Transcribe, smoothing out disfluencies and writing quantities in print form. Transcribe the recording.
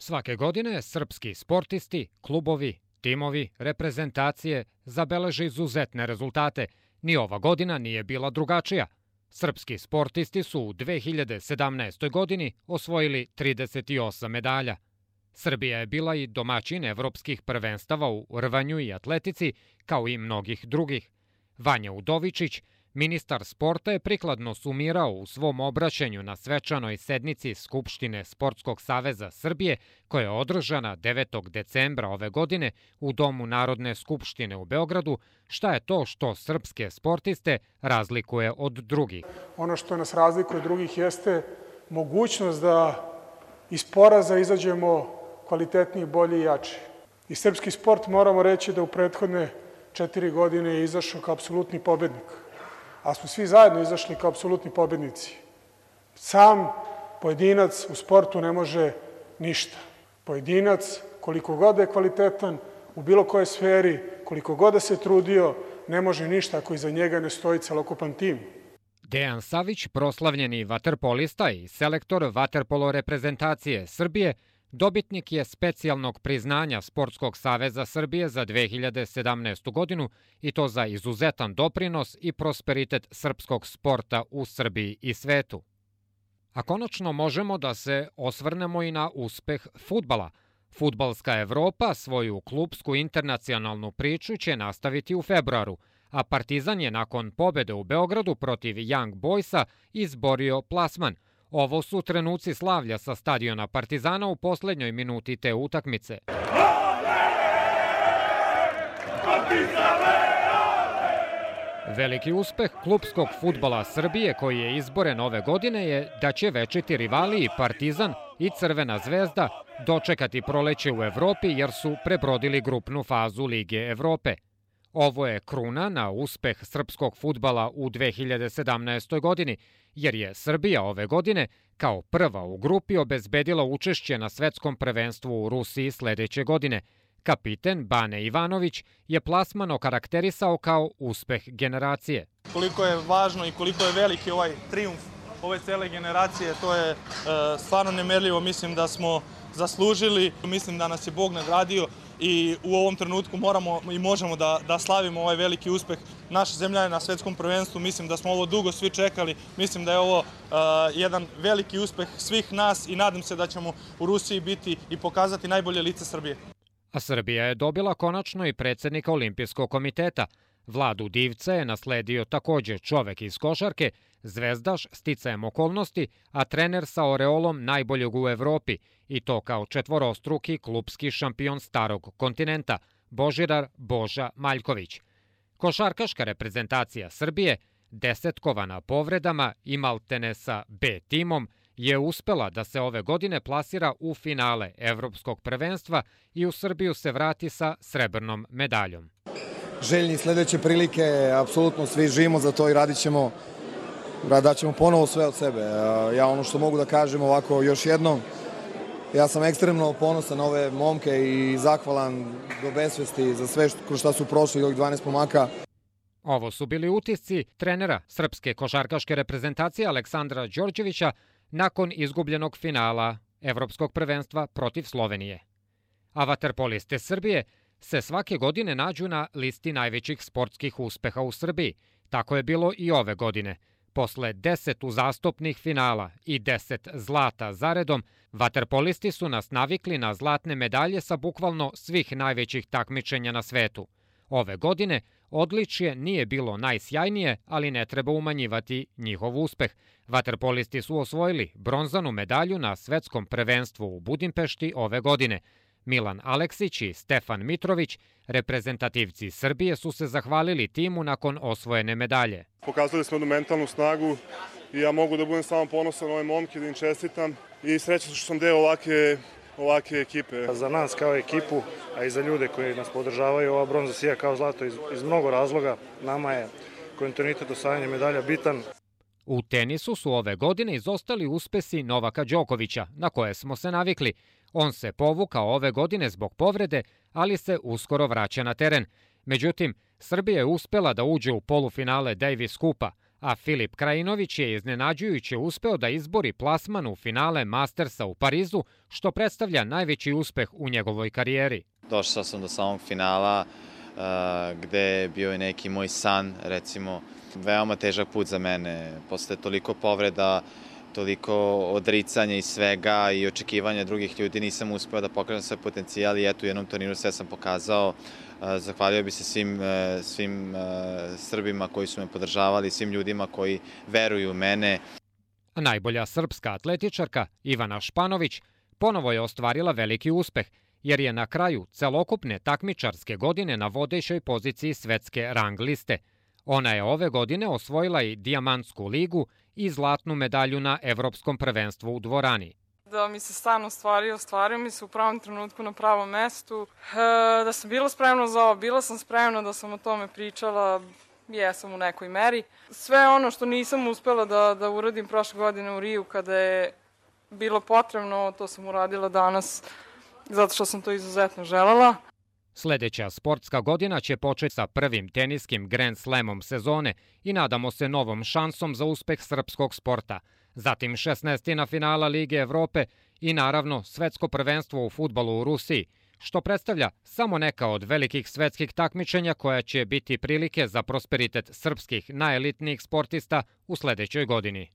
Svake godine srpski sportisti, klubovi, timovi, reprezentacije zabeleže izuzetne rezultate. Ni ova godina nije bila drugačija. Srpski sportisti su u 2017. godini osvojili 38 medalja. Srbija je bila i domaćin evropskih prvenstava u rvanju i atletici, kao i mnogih drugih. Vanja Udovičić, ministar sporta, je prikladno sumirao u svom obraćanju na svečanoj sednici Skupštine Sportskog saveza Srbije, koja je održana 9. decembra ove godine u Domu Narodne skupštine u Beogradu, šta je to što srpske sportiste razlikuje od drugih. Ono što nas razlikuje od drugih jeste mogućnost da iz poraza izađemo kvalitetniji, bolji i jači. I srpski sport, moramo reći, da u prethodne 4 godine je izašao kao apsolutni pobednik. A smo svi zajedno izašli kao apsolutni pobednici. Sam pojedinac u sportu ne može ništa. Pojedinac, koliko god je kvalitetan, u bilo kojoj sferi, koliko god da se trudio, ne može ništa ako iza njega ne stoji celokupan tim. Dejan Savić, proslavljeni vaterpolista i selektor vaterpolo reprezentacije Srbije, dobitnik je specijalnog priznanja Sportskog saveza Srbije za 2017. godinu i to za izuzetan doprinos i prosperitet srpskog sporta u Srbiji i svetu. A konačno možemo da se osvrnemo i na uspeh fudbala. Fudbalska Evropa svoju klupsku internacionalnu priču će nastaviti u februaru, a Partizan je nakon pobede u Beogradu protiv Young Boysa izborio plasman. Ovo su trenuci slavlja sa stadiona Partizana u poslednjoj minuti te utakmice. Veliki uspeh klupskog fudbala Srbije, koji je izboren ove godine, je da će večiti rivali i Partizan i Crvena zvezda dočekati proleće u Evropi jer su prebrodili grupnu fazu Lige Evrope. Ovo je kruna na uspeh srpskog fudbala u 2017. godini, jer je Srbija ove godine kao prva u grupi obezbedila učešće na svetskom prvenstvu u Rusiji sledeće godine. Kapiten Bane Ivanović je plasman okarakterisao kao uspeh generacije. Koliko je važno i koliko je veliki ovaj trijumf ove cele generacije, to je stvarno nemerljivo. Mislim da smo zaslužili, mislim da nas je Bog nagradio i u ovom trenutku moramo i možemo da slavimo ovaj veliki uspeh naše zemlje na svetskom prvenstvu. Mislim da smo ovo dugo svi čekali, mislim da je ovo jedan veliki uspeh svih nas i nadam se da ćemo u Rusiji biti i pokazati najbolje lice Srbije. A Srbija je dobila konačno i predsednika Olimpijskog komiteta. Vladu Divca je nasledio takođe čovek iz košarke, zvezdaš sticajem okolnosti, a trener sa oreolom najboljeg u Evropi, i to kao četvorostruki klupski šampion starog kontinenta, Božidar Boža Maljković. Košarkaška reprezentacija Srbije, desetkovana povredama i maltene sa B timom, je uspela da se ove godine plasira u finale Evropskog prvenstva i u Srbiju se vrati sa srebrnom medaljom. Željni sledeće prilike, apsolutno svi živimo za to i daćemo ponovo sve od sebe. Ja ono što mogu da kažem ovako još jednom, ja sam ekstremno ponosan na ove momke i zahvalan do besvesti za sve kroz šta su prošli ovih 12 momaka. Ovo su bili utisci trenera srpske košarkaške reprezentacije Aleksandra Đorđevića nakon izgubljenog finala Evropskog prvenstva protiv Slovenije. A vaterpoliste Srbije se svake godine nađu na listi najvećih sportskih uspeha u Srbiji. Tako je bilo i ove godine. Posle 10 uzastopnih finala i 10 zlata zaredom, vaterpolisti su nas navikli na zlatne medalje sa bukvalno svih najvećih takmičenja na svetu. Ove godine odličje nije bilo najsjajnije, ali ne treba umanjivati njihov uspeh. Vaterpolisti su osvojili bronzanu medalju na svetskom prvenstvu u Budimpešti ove godine. Milan Aleksić i Stefan Mitrović, reprezentativci Srbije, su se zahvalili timu nakon osvojene medalje. Pokazali smo jednu mentalnu snagu i ja mogu da budem samo ponosan na ove momke, da im čestitam i srećan što sam deo ovake ekipe. Za nas kao ekipu, a i za ljude koji nas podržavaju, ova bronza sija kao zlato iz mnogo razloga. Nama je kontinuitet osvajanja medalja bitan. U tenisu su ove godine izostali uspesi Novaka Đokovića, na koje smo se navikli. On se povukao ove godine zbog povrede, ali se uskoro vraća na teren. Međutim, Srbija je uspela da uđe u polufinale Davis Kupa, a Filip Krajinović je iznenađujuće uspeo da izbori plasman u finale Mastersa u Parizu, što predstavlja najveći uspeh u njegovoj karijeri. Došao sam do samog finala gde je bio i neki moj san, recimo, veoma težak put za mene. Posle toliko povreda, toliko odricanja i svega i očekivanja drugih ljudi, nisam uspeo da pokrenem svoj potencijal i eto u jednom turniru sve sam pokazao. Zahvalio bi se svim Srbima koji su me podržavali, svim ljudima koji veruju u mene. Najbolja srpska atletičarka Ivana Španović ponovo je ostvarila veliki uspeh, jer je na kraju celokupne takmičarske godine na vodećoj poziciji svetske rang liste. Ona je ove godine osvojila i dijamantsku ligu i zlatnu medalju na Evropskom prvenstvu u dvorani. Da mi se stan ostvario mi se u pravom trenutku na pravom mestu. Da sam bila spremna za ovo, bila sam spremna, da sam o tome pričala, jesam u nekoj meri. Sve ono što nisam uspela da uradim prošle godine u Riju kada je bilo potrebno, to sam uradila danas zato što sam to izuzetno želela. Sledeća sportska godina će početi sa prvim teniskim Grand Slamom sezone i nadamo se novom šansom za uspeh srpskog sporta. Zatim 16. finala Lige Evrope i naravno svetsko prvenstvo u fudbalu u Rusiji, što predstavlja samo neka od velikih svetskih takmičenja koja će biti prilike za prosperitet srpskih najelitnijih sportista u sledećoj godini.